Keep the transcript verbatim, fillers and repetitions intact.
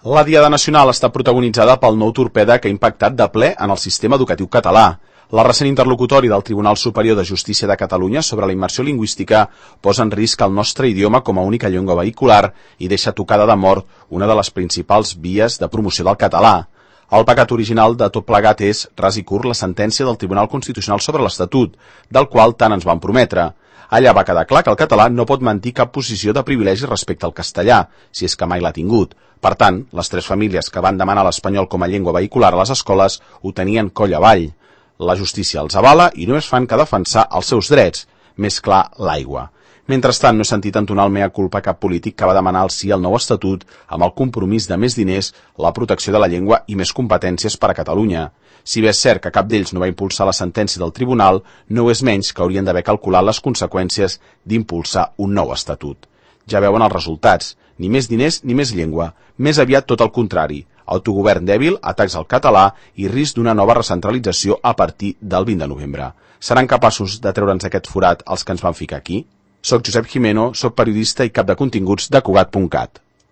La Diada Nacional està protagonitzada pel nou torpede que ha impactat de ple en el sistema educatiu català. La recent interlocutori del Tribunal Superior de Justícia de Catalunya sobre la immersió lingüística posa en risc el nostre idioma com a única llengua vehicular i deixa tocada de mort una de les principals vies de promoció del català. El pecat original de tot plegat és, ras i curt, la sentència del Tribunal Constitucional sobre l'Estatut, del qual tant ens van prometre. Allà va quedar clar que el català no pot mantenir cap posició de privilegi respecte al castellà, si és que mai l'ha tingut. Per tant, les tres famílies que van demanar l'espanyol com a llengua vehicular a les escoles ho tenien coll avall. La justícia els avala i només fan que defensar els seus drets, més clar, l'aigua. Mentrestant, no he sentit entonar el mea culpa cap polític que va demanar el sí al nou estatut amb el compromís de més diners, la protecció de la llengua i més competències per a Catalunya. Si bé és cert que cap d'ells no va impulsar la sentència del tribunal, no ho és menys que haurien d'haver calculat les conseqüències d'impulsar un nou estatut. Ja veuen els resultats. Ni més diners ni més llengua. Més aviat tot el contrari. Autogovern dèbil, atacs al català i risc d'una nova recentralització a partir del vint de novembre. Seran capaços de treure'ns aquest forat els que ens van ficar aquí? Soc Josep Jimeno, soc periodista i cap de continguts de Cugat punt cat.